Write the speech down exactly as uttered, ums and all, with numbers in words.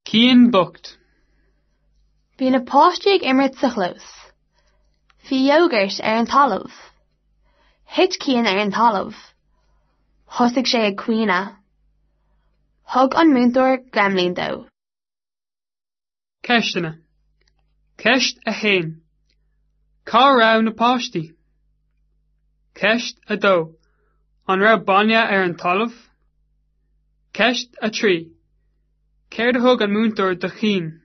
Cian bocht. Bhí na páistí ag imirt sa chlós. Bhí iógart ar an talamh. Thit Cian ar an talamh. Thosaigh sé ag caoineadh. Thug an múinteoir gremlin dó. Ceisteanna. Ceist a haon. Cá raibh na páistí? Ceist a dó. An raibh bainne ar an talamh? Ceist a trí. Céard a thug an múinteoir do Chian?